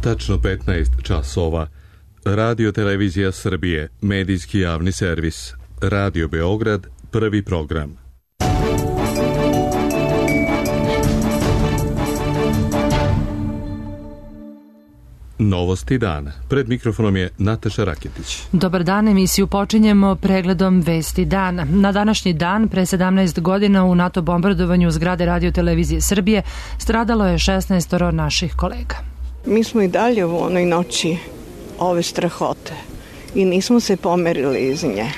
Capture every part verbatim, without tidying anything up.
tačno petnaest časova. Radio Televizija Srbije, medijski javni servis. Radio Beograd, prvi program. Novosti dana. Pred mikrofonom je Nataša Raketić. Dobar dan, emisiju počinjemo pregledom vesti dana. Na današnji dan, pre sedamnaest godina, u NATO bombardovanju zgrade Radio Televizije Srbije stradalo je šesnaest naših kolega. Mi smo i dalje u onoj noći ove strahote i nismo se pomerili iz nje.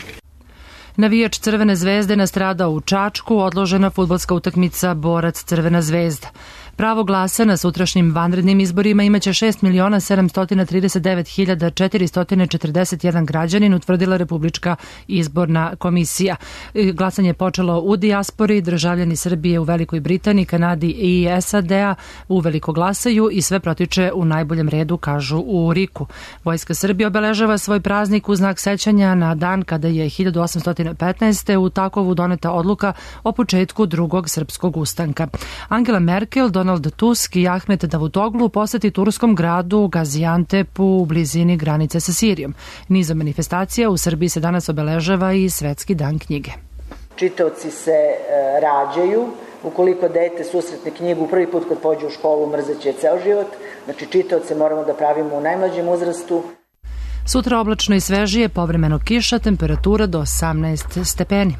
Navijač Crvene zvezde nastradao u Čačku, odložena fudbalska utakmica Borac Crvena zvezda. Pravo glasa na sutrašnjim vanrednim izborima imaće šest miliona sedamsto trideset devet hiljada četiristo četrdeset jedan građanin, utvrdila Republička izborna komisija. Glasanje je počelo u dijaspori, državljani Srbije u Velikoj Britaniji, Kanadi i S A D-a uveliko glasaju i sve protiče u najboljem redu, kažu u RIK-u. Vojska Srbije obeležava svoj praznik u znak sećanja na dan kada je hiljadu osamsto petnaeste. u Takovu doneta odluka o početku drugog srpskog ustanka. Angela Merkel, Donald Tusk i Ahmet Davutoglu poseti turskom gradu Gaziantepu u blizini granice sa Sirijom. Nizom manifestacija u Srbiji se danas obeležava i Svetski dan knjige. Čitaoci se e, rađaju. Ukoliko dete susretne knjigu prvi put kad pođe u školu, mrzeće ceo život. Znači čitaoce moramo da pravimo u najmlađem uzrastu. Sutra oblačno i svežije, povremeno kiša, temperatura do osamnaest stepeni.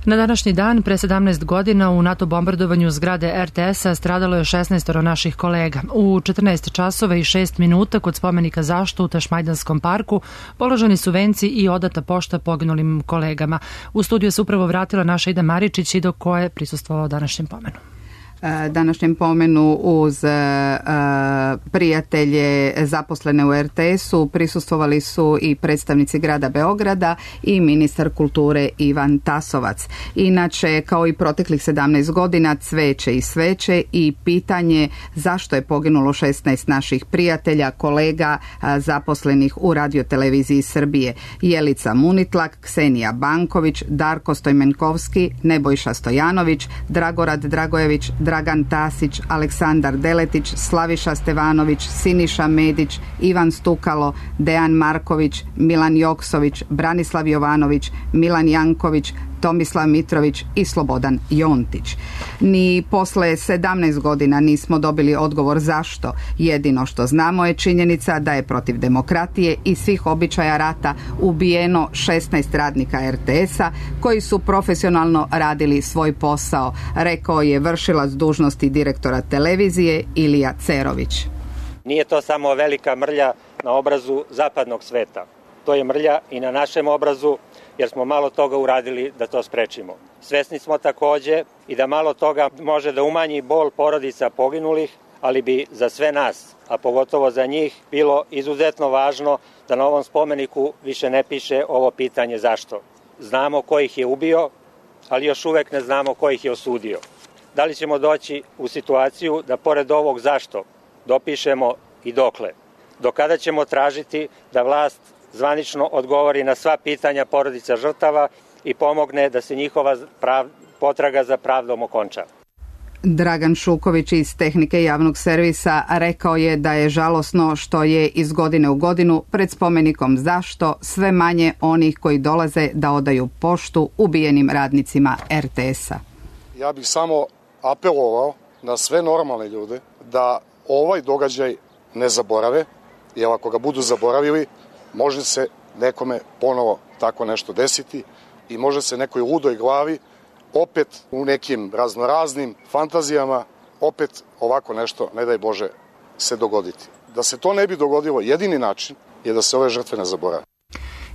Na današnji dan, pre sedamnaest godina, u NATO bombardovanju zgrade R T S-a stradalo je šesnaest naših kolega. U četrnaest časova i šest minuta kod spomenika Zašto u Tašmajdanskom parku položeni su venci i odata pošta poginulim kolegama. U studiju se upravo vratila naša Ida Maričić i do koje je prisustvovao današnjem pomenu. Današnjem pomenu uz uh, prijatelje zaposlene u R T S-u prisustvovali su i predstavnici grada Beograda i ministar kulture Ivan Tasovac. Inače, kao i proteklih sedamnaest godina, cveće i sveće i pitanje zašto je poginulo šesnaest naših prijatelja, kolega uh, zaposlenih u Radio Televiziji Srbije. Jelica Munitlak, Ksenija Banković, Darko Stojmenkovski, Nebojša Stojanović, Dragorad Dragojević, Dragan Tasić, Aleksandar Deletić, Slaviša Stevanović, Siniša Medić, Ivan Stukalo, Dejan Marković, Milan Joksović, Branislav Jovanović, Milan Janković, Tomislav Mitrović i Slobodan Jontić. Ni posle sedamnaest godina nismo dobili odgovor zašto. Jedino što znamo je činjenica da je protiv demokratije i svih običaja rata ubijeno šesnaest radnika R T S-a koji su profesionalno radili svoj posao, rekao je vršilac dužnosti direktora televizije Ilija Cerović. Nije to samo velika mrlja na obrazu zapadnog sveta. To je mrlja i na našem obrazu, jer smo malo toga uradili da to sprečimo. Svesni smo takođe i da malo toga može da umanji bol porodica poginulih, ali bi za sve nas, a pogotovo za njih, bilo izuzetno važno da na ovom spomeniku više ne piše ovo pitanje zašto. Znamo ko ih je ubio, ali još uvek ne znamo ko ih je osudio. Da li ćemo doći u situaciju da pored ovog zašto dopišemo i dokle? Do kada ćemo tražiti da vlast zvanično odgovori na sva pitanja porodica žrtava i pomogne da se njihova prav, potraga za pravdom okonča. Dragan Šuković iz Tehnike javnog servisa rekao je da je žalosno što je iz godine u godinu pred spomenikom Zašto sve manje onih koji dolaze da odaju poštu ubijenim radnicima R T S-a. Ja bih samo apelovao na sve normalne ljude da ovaj događaj ne zaborave, jer ako ga budu zaboravili, može se nekome ponovo tako nešto desiti i može se nekoj ludoj glavi opet u nekim raznoraznim fantazijama opet ovako nešto, ne daj Bože, se dogoditi. Da se to ne bi dogodilo, jedini način je da se ove žrtve ne zaborave.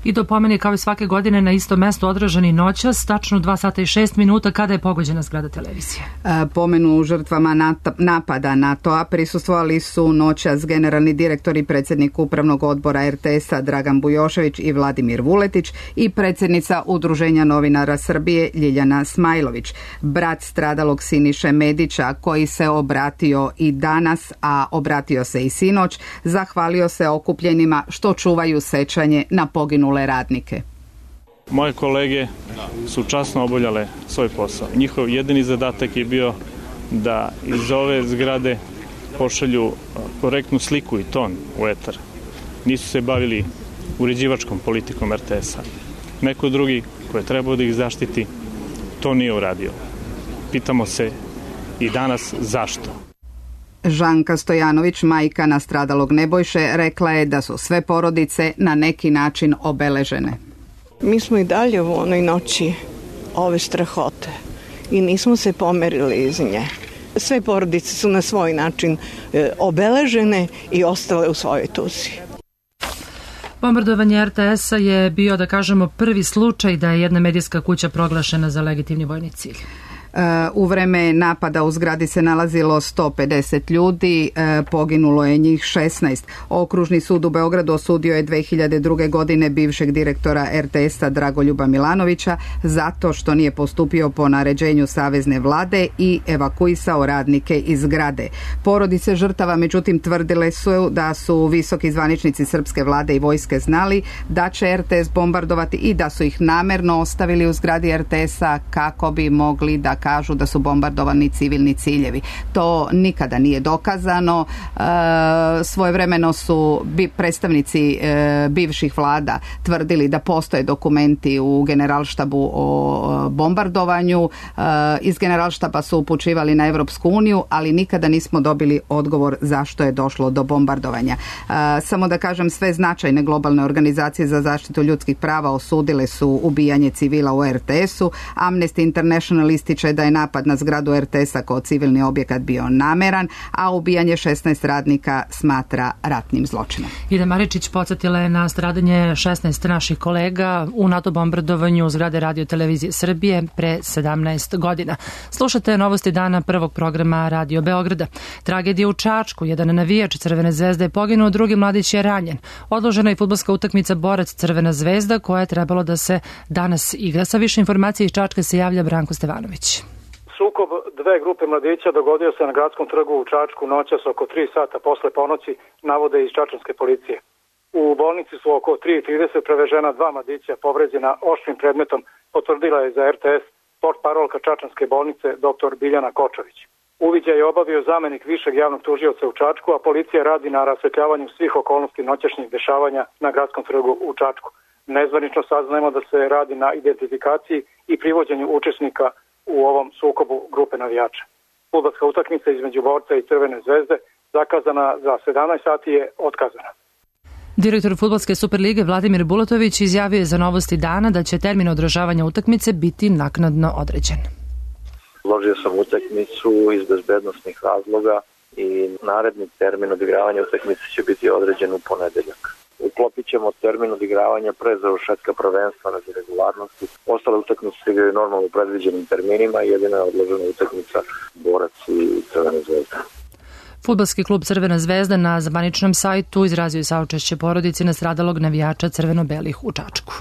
I do pomeni kao i svake godine na istom mestu održani noćas, tačno dva sata i šest minuta kada je pogođena zgrada televizije. Pomenu žrtvama napada NATO-a prisustvovali su noćas generalni direktor i predsjednik upravnog odbora R T S-a Dragan Bujošević i Vladimir Vuletić i predsjednica Udruženja novinara Srbije Ljiljana Smajlović. Brat stradalog Siniše Medića, koji se obratio i danas, a obratio se i sinoć, zahvalio se okupljenima što čuvaju sećanje na poginule radnike. Moje kolege su časno obavljale svoj posao. Njihov jedini zadatak je bio da iz ove zgrade pošalju korektnu sliku i ton u etar. Nisu se bavili uređivačkom politikom er te es-a. Neko drugi ko je trebao da ih zaštiti, to nije uradio. Pitamo se i danas zašto. Žanka Stojanović, majka nastradalog Nebojše, rekla je da su sve porodice na neki način obeležene. Mi smo i dalje u onoj noći ove strahote i nismo se pomerili iz nje. Sve porodice su na svoj način obeležene i ostale u svojoj tuzi. Bombardovanje er te es-a je bio, da kažemo, prvi slučaj da je jedna medijska kuća proglašena za legitimni vojni cilj. U vreme napada u zgradi se nalazilo sto pedeset ljudi, poginulo je njih šesnaest. Okružni sud u Beogradu osudio je dve hiljade druge. godine bivšeg direktora er te es-a Dragoljuba Milanovića zato što nije postupio po naređenju savezne vlade i evakuisao radnike iz zgrade. Porodice žrtava međutim tvrdile su da su visoki zvaničnici srpske vlade i vojske znali da će er te es bombardovati i da su ih namerno ostavili u zgradi er te es-a kako bi mogli da kažu da su bombardovani civilni ciljevi. To nikada nije dokazano. E, svojevremeno su bi, predstavnici e, bivših vlada tvrdili da postoje dokumenti u generalštabu o bombardovanju. E, iz generalštaba su upućivali na Evropsku uniju, ali nikada nismo dobili odgovor zašto je došlo do bombardovanja. E, samo da kažem, sve značajne globalne organizacije za zaštitu ljudskih prava osudile su ubijanje civila u er te es-u. Amnesty International ističe da je napad na zgradu er te es-a kao civilni objekat bio nameran, a ubijanje šesnaest radnika smatra ratnim zločinom. Ida Maričić podsjetila je na stradanje šesnaest naših kolega u NATO bombardovanju zgrade Radio Televizije Srbije pre sedamnaest godina. Slušate novosti dana prvog programa Radio Beograda. Tragedija u Čačku, jedan navijač Crvene zvezde je poginuo, drugi mladić je ranjen. Odložena je fudbalska utakmica Borac Crvena zvezda koja je trebalo da se danas igra. Sa više informacije iz Čačka se javlja Branko Stevanović. Sukob dve grupe mladića dogodio se na gradskom trgu u Čačku noćas oko tri sata posle ponoći, navode iz čačanske policije. U bolnici su oko tri i trideset prevežena dva mladića povređena oštrim predmetom, potvrdila je za er te es portparolka čačanske bolnice dr Biljana Kočović. Uviđaj je obavio zamenik višeg javnog tužioca u Čačku, a policija radi na rasvetljavanju svih okolnosti noćašnjih dešavanja na gradskom trgu u Čačku. Nezvanično saznajemo da se radi na identifikaciji i privođenju učesnika u ovom sukobu grupe navijača. Fudbalska utakmica između Borca i Crvene zvezde zakazana za sedamnaest sati je otkazana. Direktor Fudbalske Superlige Vladimir Bulatović izjavio je za novosti dana da će termin održavanja utakmice biti naknadno određen. Uložio sam utakmicu iz bezbednosnih razloga i naredni termin odigravanja utakmice će biti određen u ponedeljak. Uklopit ćemo termin odigravanja pre završetka prvenstva radi regularnosti. Ostale utakmice se igraju normalno u predviđenim terminima i jedina je odložena utakmica Borac i Crvena zvezda. Fudbalski klub Crvena zvezda na zvaničnom sajtu izrazio je saučešće porodici nastradalog navijača crveno-belih u Čačku.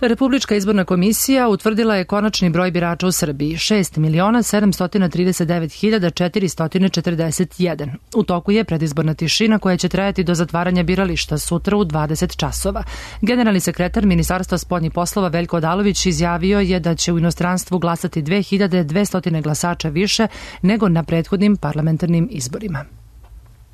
Republička izborna komisija utvrdila je konačni broj birača u Srbiji, šest miliona sedamsto trideset devet hiljada četiristo četrdeset jedan. U toku je predizborna tišina koja će trajati do zatvaranja birališta sutra u dvadeset časova. Generalni sekretar Ministarstva spoljnih poslova Veljko Odalović izjavio je da će u inostranstvu glasati dve hiljade dvesta glasača više nego na prethodnim parlamentarnim izborima.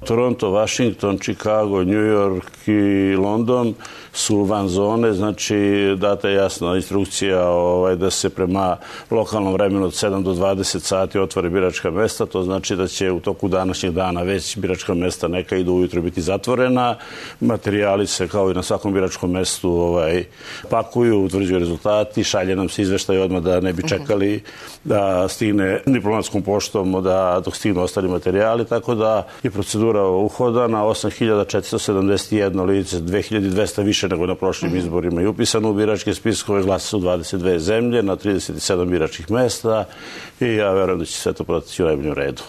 Toronto, Washington, Chicago, New York i London su van zone, znači data je jasna instrukcija ovaj, da se prema lokalnom vremenu od sedam do dvadeset sati otvore biračka mesta, to znači da će u toku današnjeg dana već biračka mesta neka idu ujutro biti zatvorena, materijali se kao i na svakom biračkom mestu ovaj, pakuju, utvrđuju rezultati, šalje nam se izveštaj odmah da ne bi čekali da stigne diplomatskom poštom da dok stignu ostali materijali, tako da je procedura uhoda na osam hiljada četiristo sedamdeset jedno lice, dve hiljade dvesta više nego na prošlim izborima i upisano u biračke spiskove, glasa su dvadeset dve zemlje na trideset sedam biračkih mesta i ja verujem da će sve to proteći u najboljem redu.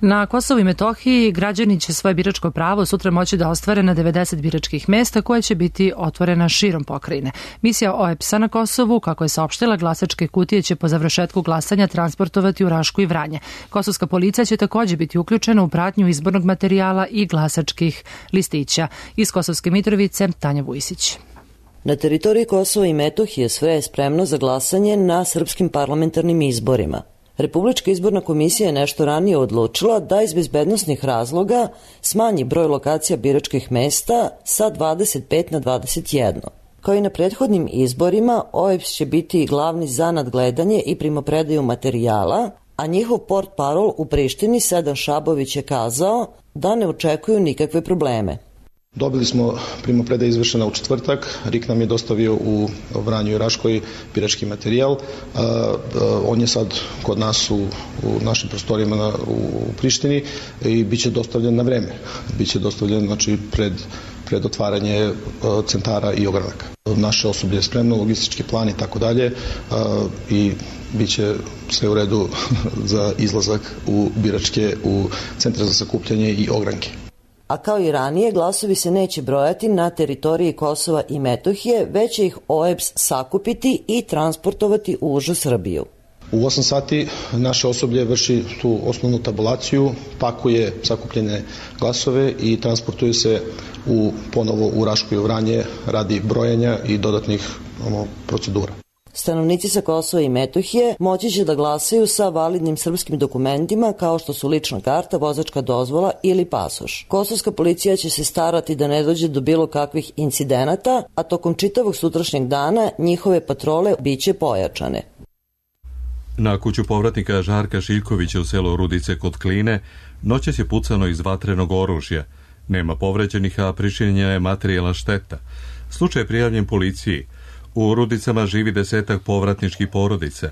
Na Kosovu i Metohiji građani će svoje biračko pravo sutra moći da ostvare na devedeset biračkih mesta koje će biti otvorena širom pokrajine. Misija O E P S-a na Kosovu, kako je saopštila, glasačke kutije će po završetku glasanja transportovati u Rašku i Vranje. Kosovska policija će također biti uključena u pratnju izbornog materijala i glasačkih listića. Iz Kosovske Mitrovice, Tanja Vujsić. Na teritoriji Kosova i Metohije sve je spremno za glasanje na srpskim parlamentarnim izborima. Republička izborna komisija je nešto ranije odlučila da iz bezbednosnih razloga smanji broj lokacija biračkih mesta sa dvadeset pet na dvadeset jedan. Kao i na prethodnim izborima, O E B S će biti glavni za nadgledanje i primopredaju materijala, a njihov portparol u Prištini Sedan Šabović je kazao da ne očekuju nikakve probleme. Dobili smo primopredaj izvršena u četvrtak, R I K nam je dostavio u Vranju i Raškoj birački materijal. On je sad kod nas u, u našim prostorijama na, u Prištini i bit će dostavljen na vreme. Biće dostavljen znači, pred, pred otvaranje centara i ogranaka. Naše osoblje je spremno, logistički plan i tako dalje i bit će sve u redu za izlazak u biračke, u centre za sakupljanje i ogranke. A kao i ranije, glasovi se neće brojati na teritoriji Kosova i Metohije, već će ih O E B S sakupiti i transportovati u užu Srbiju. U osam sati naše osoblje vrši tu osnovnu tabulaciju, pakuje sakupljene glasove i transportuje se u, ponovo u Rašku i Vranje radi brojanja i dodatnih ono, procedura. Stanovnici sa Kosova i Metohije moći će da glasaju sa validnim srpskim dokumentima kao što su lična karta, vozačka dozvola ili pasoš. Kosovska policija će se starati da ne dođe do bilo kakvih incidenata, a tokom čitavog sutrašnjeg dana njihove patrole biće pojačane. Na kuću povratnika Žarka Šiljkovića u selu Rudice kod Kline noćas je pucano iz vatrenog oružja. Nema povređenih, a pričinjena je materijalna šteta. Slučaj je prijavljen policiji. U Rudicama živi desetak povratničkih porodica.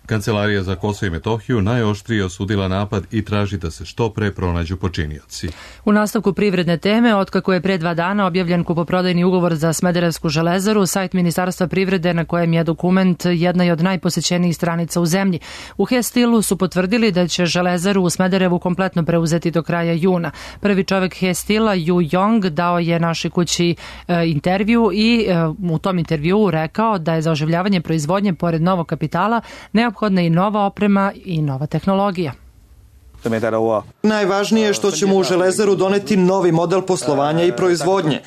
Kancelarija za Kosovo i Metohiju najoštrije osudila napad i traži da se što pre pronađu počinioci. U nastavku privredne teme, otkako je pre dva dana objavljen kupoprodajni ugovor za Smederevsku železaru, sajt Ministarstva privrede na kojem je dokument jedna od najposećenijih stranica u zemlji. U He-Stilu su potvrdili da će železaru u Smederevu kompletno preuzeti do kraja juna. Prvi čovek He-Stila, Yu Yong, dao je našoj kući e, intervju i e, u tom intervjuu rekao da je za oživljavanje proizvodnje pored novog kapitala neophodna i nova oprema i nova tehnologija. Najvažnije je što ćemo u Železaru doneti novi model poslovanja i proizvodnje.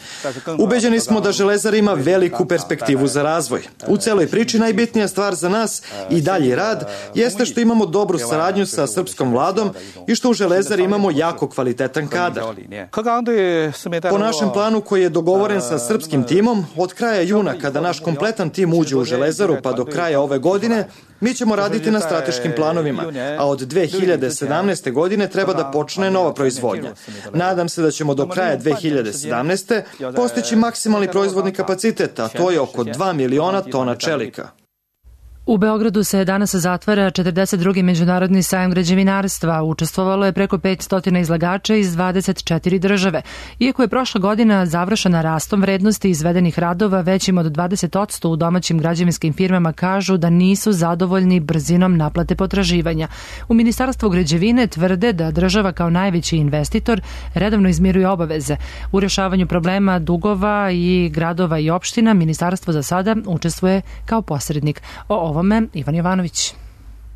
Ubeđeni smo da Železara ima veliku perspektivu za razvoj. U celoj priči najbitnija stvar za nas i dalji rad jeste što imamo dobru saradnju sa srpskom vladom i što u Železari imamo jako kvalitetan kadar. Po našem planu koji je dogovoren sa srpskim timom, od kraja juna kada naš kompletan tim uđe u Železaru pa do kraja ove godine, mi ćemo raditi na strateškim planovima, a od dve hiljade sedamnaeste. godine treba da počne nova proizvodnja. Nadam se da ćemo do kraja dve hiljade sedamnaeste. postići maksimalni proizvodni kapacitet, a to je oko dva miliona tona čelika. U Beogradu se danas zatvara četrdeset drugi međunarodni sajam građevinarstva. Učestvovalo je preko petsto izlagača iz dvadeset četiri države. Iako je prošla godina završena rastom vrednosti izvedenih radova većim od dvadeset posto u domaćim građevinskim firmama kažu da nisu zadovoljni brzinom naplate potraživanja. U Ministarstvu građevine tvrde da država kao najveći investitor redovno izmiruje obaveze. U rešavanju problema dugova i gradova i opština Ministarstvo za sada učestvuje kao posrednik. O ovome Ivan Jovanović.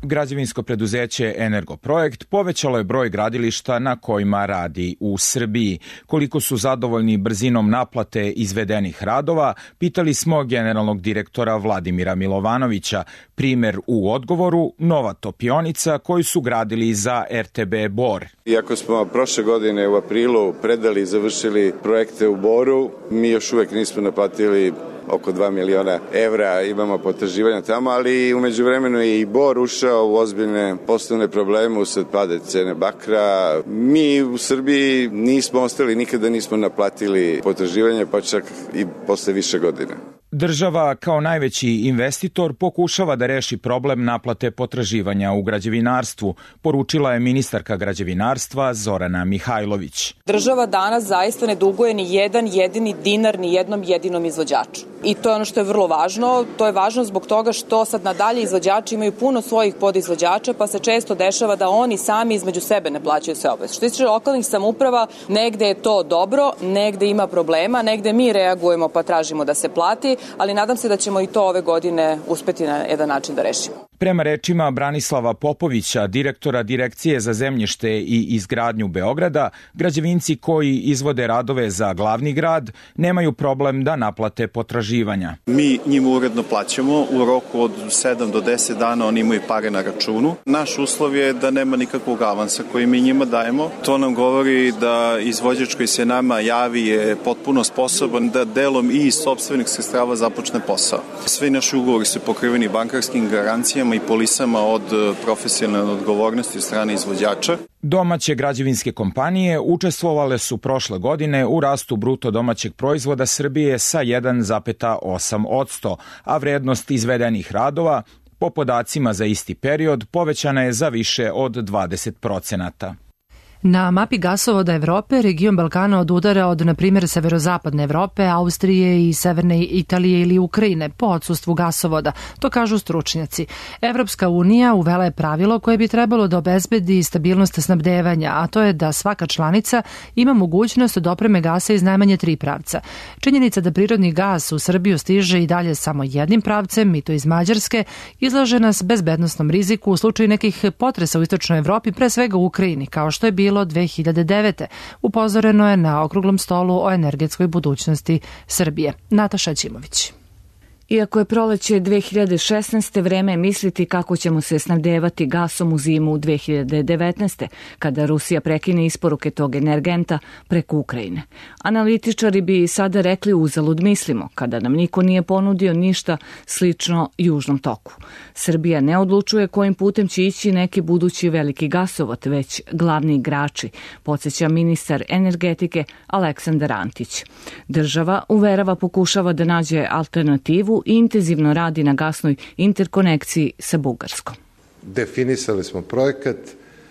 Građevinsko preduzeće Energoprojekt povećalo je broj gradilišta na kojima radi u Srbiji. Koliko su zadovoljni brzinom naplate izvedenih radova, pitali smo generalnog direktora Vladimira Milovanovića. Primer u odgovoru, nova topionica koju su gradili za R T B Bor. Iako smo prošle godine u aprilu predali i završili projekte u Boru, mi još uvek nismo naplatili oko dva miliona evra, imamo potraživanja tamo, ali umeđu vremenu je i Bor ušao u ozbiljne poslovne probleme usled pada cene bakra. Mi u Srbiji nismo ostali, nikada nismo naplatili potraživanje, pa čak i posle više godina. Država kao najveći investitor pokušava da reši problem naplate potraživanja u građevinarstvu, poručila je ministarka građevinarstva Zorana Mihajlović. Država danas zaista ne duguje ni jedan jedini dinar ni jednom jedinom izvođaču. I to je ono što je vrlo važno. To je važno zbog toga što sad nadalje izvođači imaju puno svojih podizvođača, pa se često dešava da oni sami između sebe ne plaćaju sve obaveze. Što se tiče lokalnih samouprava, negde je to dobro, negde ima problema, negde mi reagujemo pa tražimo da se plati, ali nadam se da ćemo i to ove godine uspeti na jedan način da rešimo. Prema rečima Branislava Popovića, direktora Direkcije za zemljište i izgradnju Beograda, građevinci koji izvode radove za glavni grad nemaju problem da naplate potraživanja. Mi njima uredno plaćamo, u roku od sedam do deset dana oni imaju pare na računu. Naš uslov je da nema nikakvog avansa koji mi njima dajemo. To nam govori da izvođač koji se nama javi je potpuno sposoban da delom i iz sopstvenih sredstava započne posao. Sve naši ugovori su pokriveni bankarskim garancijama i polisama od profesionalne odgovornosti od strane izvođača. Domaće građevinske kompanije učestvovale su prošle godine u rastu bruto domaćeg proizvoda Srbije sa jedan zarez osam posto, a vrednost izvedenih radova, po podacima za isti period, povećana je za više od dvadeset procenata. Na mapi gasovoda Evrope region Balkana odudara od, na primjer, severozapadne Evrope, Austrije i severne Italije ili Ukrajine po odsustvu gasovoda, to kažu stručnjaci. Evropska unija uvela je pravilo koje bi trebalo da obezbedi stabilnost snabdevanja, a to je da svaka članica ima mogućnost da opreme gasa iz najmanje tri pravca. Činjenica da prirodni gas u Srbiju stiže i dalje samo jednim pravcem, i to iz Mađarske, izlaže nas bezbednosnom riziku u slučaju nekih potresa u istočnoj Evropi, pre svega u Ukrajini, kao što je bilo bilo dve hiljade devete. Upozoreno je na okruglom stolu o energetskoj budućnosti Srbije. Nataša Ćimović. Iako je proleće dve hiljade šesnaeste. vreme misliti kako ćemo se snabdevati gasom u zimu dve hiljade devetnaeste. kada Rusija prekine isporuke tog energenta preko Ukrajine. Analitičari bi sada rekli uzalud mislimo, kada nam niko nije ponudio ništa slično Južnom toku. Srbija ne odlučuje kojim putem će ići neki budući veliki gasovod, već glavni igrači, podsjeća ministar energetike Aleksandar Antić. Država, uverava, pokušava da nađe alternativu i intenzivno radi na gasnoj interkonekciji sa Bugarskom. Definisali smo projekat,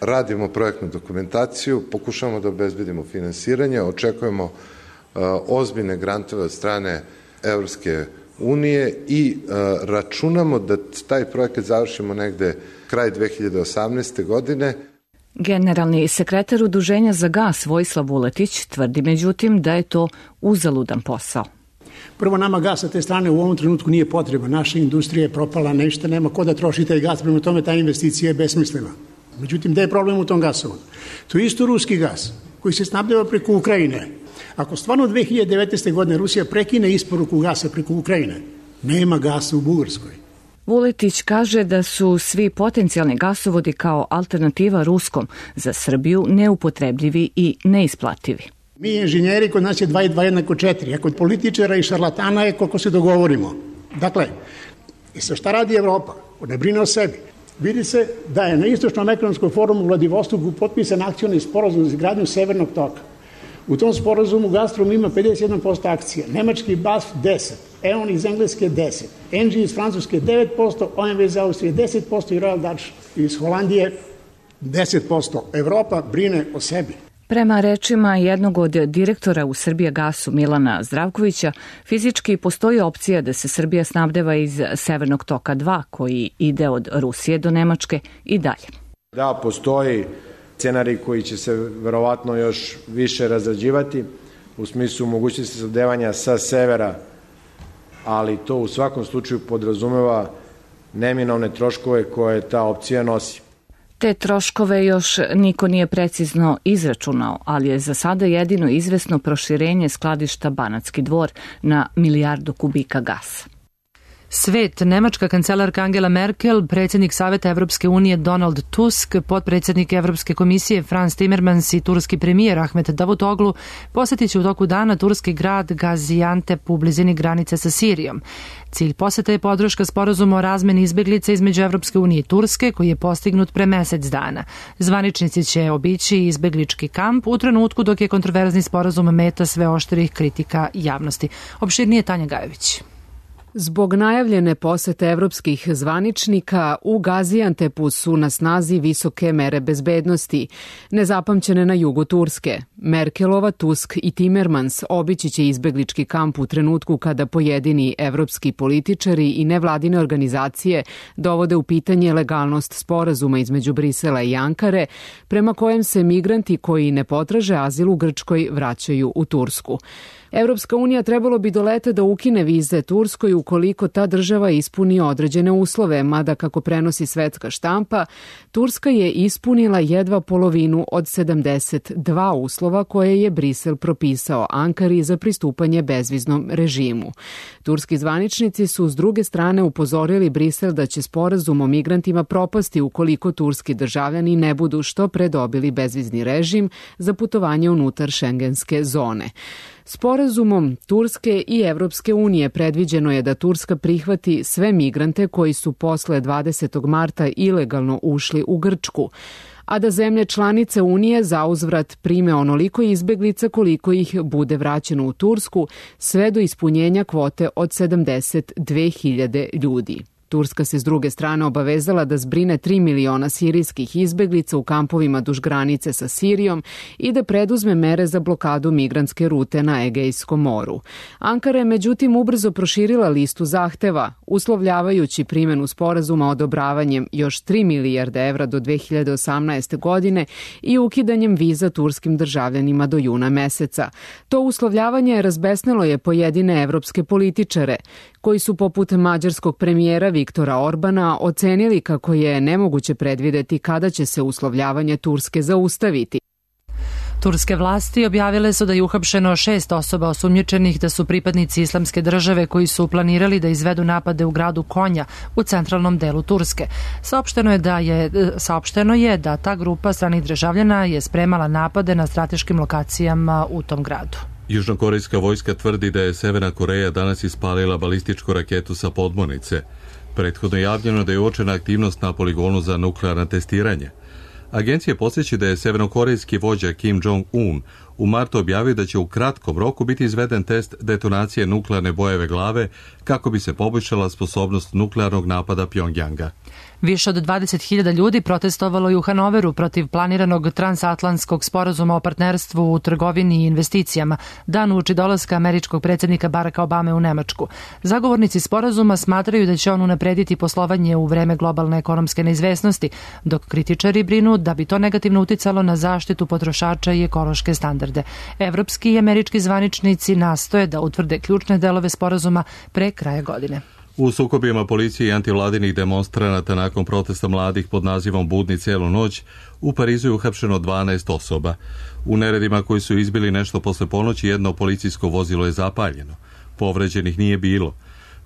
radimo projektnu dokumentaciju, pokušavamo da obezbedimo finansiranje, očekujemo uh, ozbiljne grantove od strane Evropske unije i uh, računamo da taj projekat završimo negde kraj dve hiljade osamnaeste. godine. Generalni sekretar Udruženja za gas Vojislav Vuletić tvrdi međutim da je to uzaludan posao. Prvo, nama gas sa te strane u ovom trenutku nije potreba. Naša industrija je propala, nešto nema ko da troši taj gas, prema tome ta investicija je besmislena. Međutim, gde je problem u tom gasovodu? To je isto ruski gas koji se snabdeva preko Ukrajine. Ako stvarno dve hiljade devetnaeste. godine Rusija prekine isporuku gasa preko Ukrajine, nema gasa u Bugarskoj. Vuletić kaže da su svi potencijalni gasovodi kao alternativa ruskom za Srbiju neupotrebljivi i neisplativi. Mi inženjeri, kod nas je dva i dva jednako četiri, a kod političara i šarlatana je koliko se dogovorimo. Dakle, i sa šta radi Evropa? Ne brine o sebi. Vidi se da je na Istočnom ekonomskom forumu u Vladivostoku potpisan akcioni sporazum za izgradnju Severnog toka. U tom sporazumu Gazprom ima pedeset jedan posto akcija, nemački B A S F deset, E O N iz Engleske deset, N G iz Francuske devet posto, O M V iz Austrije deset posto i Royal Dutch iz Holandije deset posto. Evropa brine o sebi. Prema rečima jednog od direktora u Srbijagasu Milana Zdravkovića, fizički postoji opcija da se Srbija snabdeva iz Severnog toka dva, koji ide od Rusije do Nemačke i dalje. Da, postoji scenarij koji će se verovatno još više razrađivati u smislu mogućnosti snabdevanja sa severa, ali to u svakom slučaju podrazumeva neminovne troškove koje ta opcija nosi. Te troškove još niko nije precizno izračunao, ali je za sada jedino izvesno proširenje skladišta Banatski Dvor na milijardu kubika gasa. Svet, nemačka kancelarka Angela Merkel, predsjednik Saveta Evropske unije Donald Tusk, potpredsjednik Evropske komisije Frans Timmermans i turski premijer Ahmet Davutoglu posjetit će u toku dana turski grad Gaziantep u blizini granice sa Sirijom. Cilj posjeta je podrška sporazuma o razmeni izbeglica između Evropske unije i Turske, koji je postignut pre mesec dana. Zvaničnici će obići izbeglički kamp u trenutku dok je kontroverzni sporazum meta sve oštrih kritika javnosti. Opširnije Tanja Gajović. Zbog najavljene posete evropskih zvaničnika u Gaziantepu su na snazi visoke mere bezbednosti, nezapamćene na jugu Turske. Merkelova, Tusk i Timmermans obići će izbeglički kamp u trenutku kada pojedini evropski političari i nevladine organizacije dovode u pitanje legalnost sporazuma između Brisela i Ankare, prema kojem se migranti koji ne potraže azil u Grčkoj vraćaju u Tursku. Evropska unija trebalo bi do leta da ukine vize Turskoj ukoliko ta država ispuni određene uslove, mada kako prenosi svetska štampa, Turska je ispunila jedva polovinu od sedamdeset dva uslova koje je Brisel propisao Ankari za pristupanje bezviznom režimu. Turski zvaničnici su s druge strane upozorili Brisel da će sporazum o migrantima propasti ukoliko turski državljani ne budu što pre dobili bezvizni režim za putovanje unutar šengenske zone. Sporazumom Turske i Evropske unije predviđeno je da Turska prihvati sve migrante koji su posle dvadesetog marta ilegalno ušli u Grčku, a da zemlje članice Unije zauzvrat prime onoliko izbeglica koliko ih bude vraćeno u Tursku, sve do ispunjenja kvote od sedamdeset dve hiljade ljudi. Turska se s druge strane obavezala da zbrine tri miliona sirijskih izbeglica u kampovima duž granice sa Sirijom i da preduzme mere za blokadu migrantske rute na Egejskom moru. Ankara je međutim ubrzo proširila listu zahteva, uslovljavajući primjenu sporazuma odobravanjem još tri milijarde evra do dve hiljade osamnaeste. godine i ukidanjem viza turskim državljanima do juna meseca. To uslovljavanje razbesnelo je pojedine evropske političare, koji su poput mađarskog premijera Viktora Orbana ocenili kako je nemoguće predvideti kada će se uslovljavanje Turske zaustaviti. Turske vlasti objavile su da je uhapšeno šest osoba osumnjičenih da su pripadnici islamske države koji su planirali da izvedu napade u gradu Konja u centralnom delu Turske. Saopšteno je da je, saopšteno je da ta grupa stranih državljana je spremala napade na strateškim lokacijama u tom gradu. Južnokorejska vojska tvrdi da je Severna Koreja danas ispalila balističku raketu sa podmornice. Prethodno je javljeno da je uočena aktivnost na poligonu za nuklearno testiranje. Agencija podsjeća da je severnokorejski vođa Kim Jong-un u martu objavio da će u kratkom roku biti izveden test detonacije nuklearne bojeve glave kako bi se poboljšala sposobnost nuklearnog napada Pjongjanga. Više od dvadeset hiljada ljudi protestovalo je u Hanoveru protiv planiranog transatlantskog sporazuma o partnerstvu u trgovini i investicijama, dan uoči dolaska američkog predsjednika Baracka Obame u Nemačku. Zagovornici sporazuma smatraju da će on unaprediti poslovanje u vreme globalne ekonomske neizvesnosti, dok kritičari brinu da bi to negativno uticalo na zaštitu potrošača i ekološke standarde. Evropski i američki zvaničnici nastoje da utvrde ključne delove sporazuma pre kraja godine. U sukobima policije i antivladinih demonstranata nakon protesta mladih pod nazivom Budni cijelu noć u Parizu je uhapšeno dvanaest osoba. U neredima koji su izbili nešto posle ponoći jedno policijsko vozilo je zapaljeno. Povređenih nije bilo.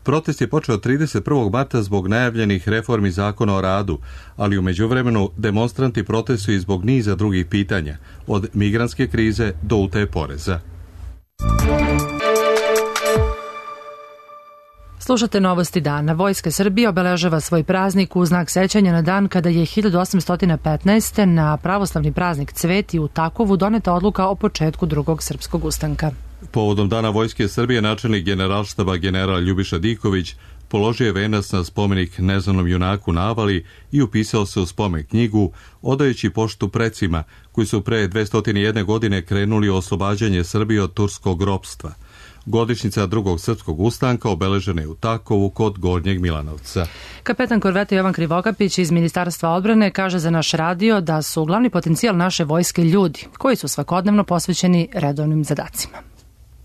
Protest je počeo trideset prvog marta zbog najavljenih reformi zakona o radu, ali u međuvremenu demonstranti protestuju zbog niza drugih pitanja, od migrantske krize do utaje poreza. Slušate novosti dana. Vojska Srbije obeležava svoj praznik u znak sećanja na dan kada je hiljadu osamsto petnaeste. na pravoslavni praznik Cveti u Takovu doneta odluka o početku drugog srpskog ustanka. Povodom dana Vojske Srbije načelnik generalštaba general Ljubiša Diković položio je venac na spomenik neznanom junaku na Avali i upisao se u spomen knjigu, odajući poštu precima koji su pre dvesta jedna godine krenuli u oslobađanje Srbije od turskog ropstva. Godišnjica drugog srpskog ustanka obeležena je u Takovu kod Gornjeg Milanovca. Kapetan korvete Jovan Krivokapić iz Ministarstva odbrane kaže za naš radio da su glavni potencijal naše vojske ljudi koji su svakodnevno posvećeni redovnim zadacima.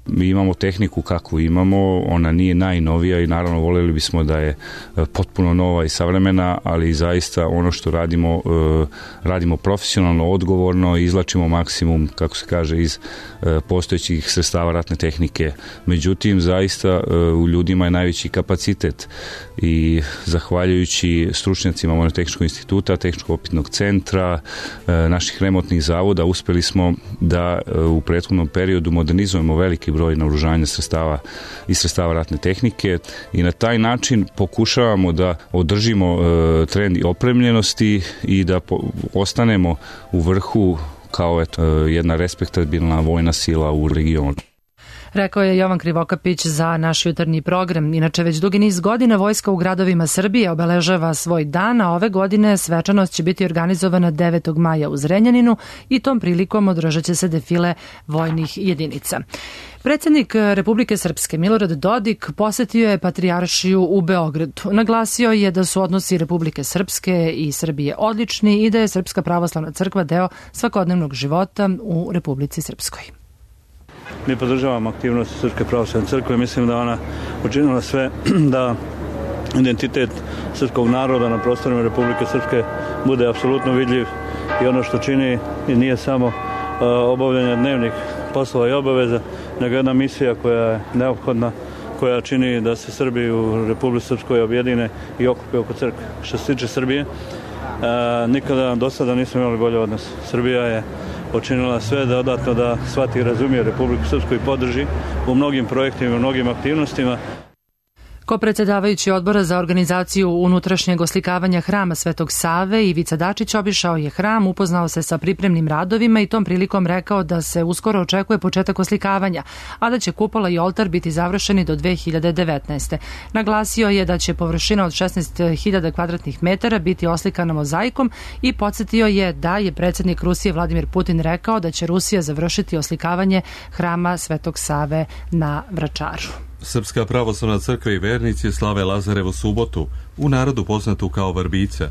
Mi imamo tehniku kakvu imamo, ona nije najnovija i naravno voljeli bismo da je potpuno nova i savremena, ali zaista ono što radimo, radimo profesionalno, odgovorno i izlačimo maksimum, kako se kaže, iz postojećih sredstava ratne tehnike. Međutim, zaista u ljudima je najveći kapacitet i zahvaljujući stručnjacima Vojno-tehničkog instituta, Tehničko-opitnog centra, naših remontnih zavoda, uspeli smo da u prethodnom periodu modernizujemo veliki broj naoružanja sredstava i sredstava ratne tehnike i na taj način pokušavamo da održimo e, trend opremljenosti i da po, ostanemo u vrhu kao eto, jedna respektabilna vojna sila u regionu. Rekao je Jovan Krivokapić za naš jutarnji program. Inače, već dugi niz godina vojska u gradovima Srbije obeležava svoj dan, a ove godine svečanost će biti organizovana devetog maja u Zrenjaninu i tom prilikom održat će se defile vojnih jedinica. Predsjednik Republike Srpske Milorad Dodik posetio je Patrijaršiju u Beogradu. Naglasio je da su odnosi Republike Srpske i Srbije odlični i da je Srpska pravoslavna crkva deo svakodnevnog života u Republici Srpskoj. Mi podržavamo aktivnosti Srpske pravoslavne crkve. Mislim da ona učinila sve da identitet srpskog naroda na prostorima Republike Srpske bude apsolutno vidljiv i ono što čini nije samo obavljanje dnevnih poslova i obaveza, nego jedna misija koja je neophodna, koja čini da se Srbi u Republici Srpskoj objedine i okupe oko crkve. Što se tiče Srbije, nikada do sada nismo imali bolje odnos. Srbija je učinila sve da dodatno da shvati i razumije Republiku Srpsku i podrži u mnogim projektima i u mnogim aktivnostima. Ko predsjedavajući odbora za organizaciju unutrašnjeg oslikavanja hrama Svetog Save, Ivica Dačić obišao je hram, upoznao se sa pripremnim radovima i tom prilikom rekao da se uskoro očekuje početak oslikavanja, a da će kupola i oltar biti završeni do dve hiljade devetnaeste. Naglasio je da će površina od šesnaest hiljada kvadratnih metara biti oslikana mozaikom i podsjetio je da je predsjednik Rusije Vladimir Putin rekao da će Rusija završiti oslikavanje hrama Svetog Save na Vračaru. Srpska pravoslavna crkva i vernici slave Lazarevu subotu, u narodu poznatu kao Vrbica.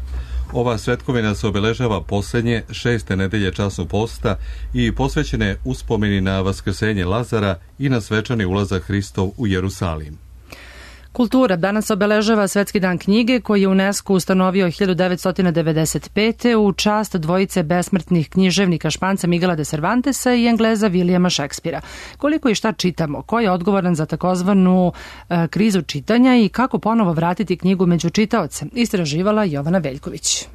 Ova svetkovina se obeležava posljednje šeste nedelje časnog posta i posvećene uspomeni na vaskrsenje Lazara i na svečani ulazak Hristov u Jerusalim. Kultura danas obeležava Svetski dan knjige koji je UNESCO ustanovio hiljadu devetsto devedeset pete u čast dvojice besmrtnih književnika Španca Miguela de Cervantesa i Engleza Williama Shakespearea. Koliko i šta čitamo, ko je odgovoran za takozvanu e, krizu čitanja i kako ponovo vratiti knjigu među čitaoce, istraživala Jovana Veljković.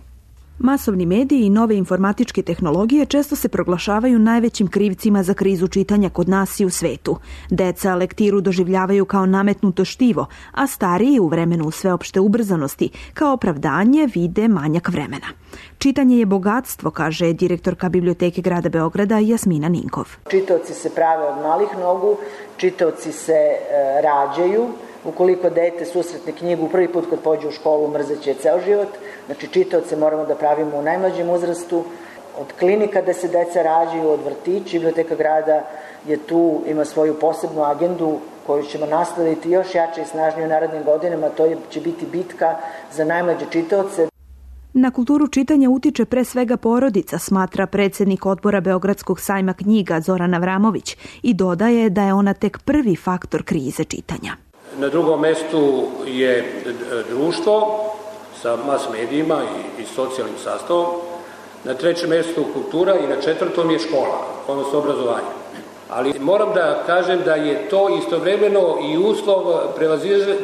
Masovni mediji i nove informatičke tehnologije često se proglašavaju najvećim krivcima za krizu čitanja kod nas i u svetu. Deca lektiru doživljavaju kao nametnuto štivo, a stariji u vremenu sveopšte ubrzanosti kao opravdanje vide manjak vremena. Čitanje je bogatstvo, kaže direktorka Biblioteke grada Beograda Jasmina Ninkov. Čitaoci se prave od malih nogu, čitaoci se e, rađaju. Ukoliko dete susretne knjigu prvi put kad pođe u školu, mrzeće ceo život. Znači, čitaoce moramo da pravimo u najmlađem uzrastu. Od klinika da se deca rađaju, od vrtića, Biblioteka grada je tu, ima svoju posebnu agendu koju ćemo nastaviti još jače i snažnije u narednim godinama. To će biti bitka za najmlađe čitaoce. Na kulturu čitanja utiče pre svega porodica, smatra predsjednik odbora Beogradskog sajma knjiga Zoran Avramović i dodaje da je ona tek prvi faktor krize čitanja. Na drugom mestu je društvo sa mas medijima i, i socijalnim sastavom. Na trećem mestu kultura i na četvrtom je škola, odnosno obrazovanje. Ali moram da kažem da je to istovremeno i uslov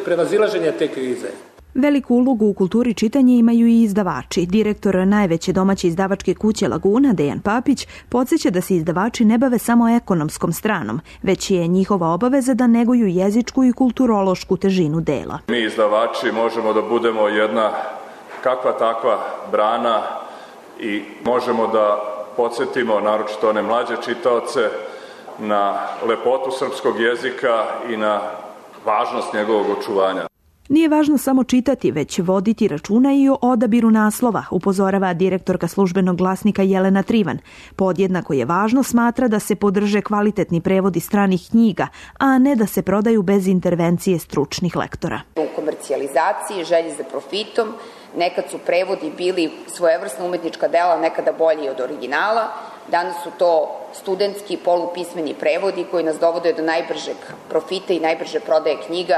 prevazilaženja te krize. Veliku ulogu u kulturi čitanja imaju i izdavači. Direktor najveće domaće izdavačke kuće Laguna, Dejan Papić, podsjeća da se izdavači ne bave samo ekonomskom stranom, već je njihova obaveza da neguju jezičku i kulturološku težinu dela. Mi izdavači možemo da budemo jedna kakva takva brana i možemo da podsjetimo, naročito one mlađe čitaoce, na lepotu srpskog jezika i na važnost njegovog očuvanja. Nije važno samo čitati, već voditi računa i o odabiru naslova, upozorava direktorka službenog glasnika Jelena Trivan. Podjednako je važno, smatra, da se podrže kvalitetni prevodi stranih knjiga, a ne da se prodaju bez intervencije stručnih lektora. U komercijalizaciji, želji za profitom, nekad su prevodi bili svojevrsna umetnička dela, nekada bolji od originala. Danas su to studentski polupismeni prevodi koji nas dovode do najbržeg profita i najbrže prodaje knjiga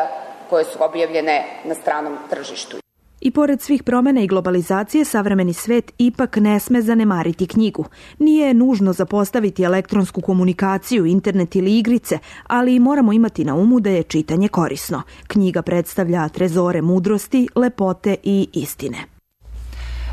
koje su objavljene na stranom tržištu. I pored svih promjena i globalizacije, savremeni svet ipak ne sme zanemariti knjigu. Nije nužno zapostaviti elektronsku komunikaciju, internet ili igrice, ali moramo imati na umu da je čitanje korisno. Knjiga predstavlja trezore mudrosti, lepote i istine.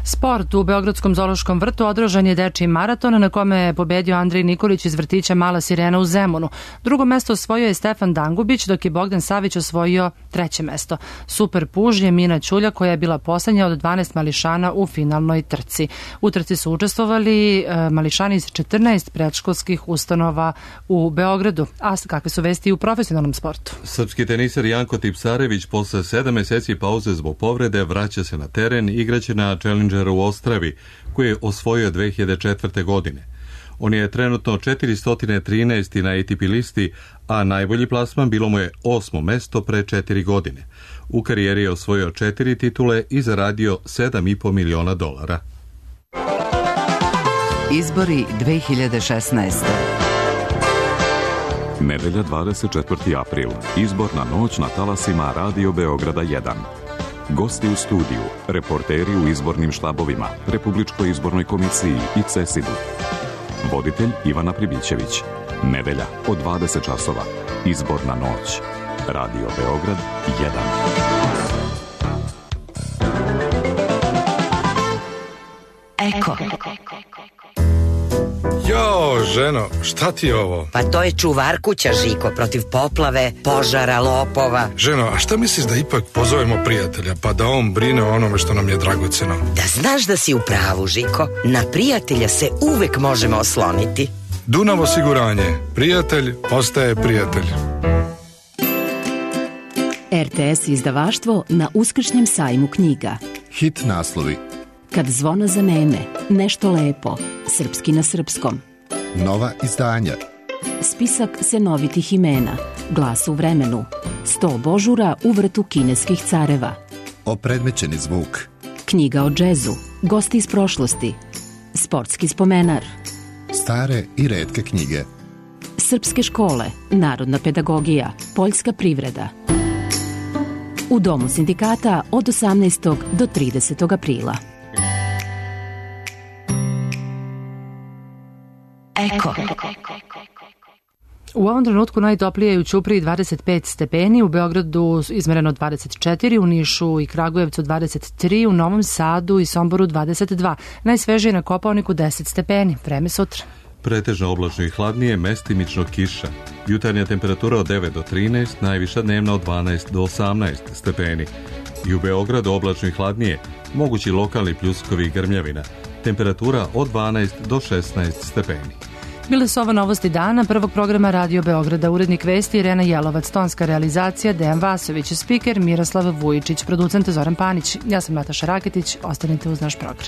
Sport u Beogradskom zoološkom vrtu održan je dečiji maraton na kome je pobedio Andrej Nikolić iz vrtića Mala sirena u Zemunu. Drugo mesto osvojio je Stefan Dangubić, dok je Bogdan Savić osvojio treće mesto. Super puž je Mina Ćulja koja je bila poslednja od dvanaest mališana u finalnoj trci. U trci su učestvovali e, mališani iz četrnaest predškolskih ustanova u Beogradu. A kakve su vesti u profesionalnom sportu? Srpski teniser Janko Tipsarević posle sedam meseci pauze zbog povrede vraća se na teren, igraće na Challenger u Ostravi, koji je osvojio dve hiljade četvrte. godine. On je trenutno četiristo trinaesti na A T P listi, a najbolji plasman bilo mu je osmo mesto pre četiri godine. U karijeri je osvojio četiri titule i zaradio sedam i po miliona dolara. Izbori dve hiljade šesnaeste. Nedelja dvadeset četvrti april. Izborna noć na talasima Radio Beograda jedan. Gosti u studiju, reporteri u izbornim štabovima, Republičkoj izbornoj komisiji i CESID-u. Voditelj Ivana Pribićević. Nedelja od dvadeset časova. Izborna noć. Radio Beograd jedan. Eko. Jo, ženo, šta ti je ovo? Pa to je čuvar kuća, Žiko, protiv poplave, požara, lopova. Ženo, a šta misliš da ipak pozovemo prijatelja, pa da on brine o onome što nam je dragoceno? Da znaš da si u pravu, Žiko. Na prijatelja se uvek možemo osloniti. Dunav osiguranje. Prijatelj postaje prijatelj. R T S izdavaštvo na uskršnjem sajmu knjiga. Hit naslovi. Kad zvono zaneme, nešto lepo, srpski na srpskom. Nova izdanja. Spisak senovitih imena, glas u vremenu, sto božura u vrtu kineskih careva. Opredmećeni zvuk. Knjiga o džezu, gosti iz prošlosti, sportski spomenar. Stare i retke knjige. Srpske škole, narodna pedagogija, poljska privreda. U Domu sindikata od osamnaestog do tridesetog aprila. Eko. U ovom trenutku najtoplije je u Ćupriji dvadeset pet stepeni, u Beogradu izmereno dvadeset četiri, u Nišu i Kragujevcu dvadeset tri, u Novom Sadu i Somboru dvadeset dva. Najsvežije na Kopaoniku deset stepeni. Vreme sutra. Pretežno oblačno i hladnije, mestimično kiša. Jutarnja temperatura od devet do trinaest, najviša dnevna od dvanaest do osamnaest stepeni. I u Beogradu oblačno i hladnije, mogući lokalni pljuskovi i grmljavina. Temperatura od dvanaest do šesnaest stepeni. Bile su ovo novosti dana prvog programa Radio Beograda. Urednik vesti Irena Jelovac, tonska realizacija Dejan Vasović, spiker Miroslav Vujičić, producent Zoran Panić. Ja sam Nataša Raketić, ostanite uz naš program.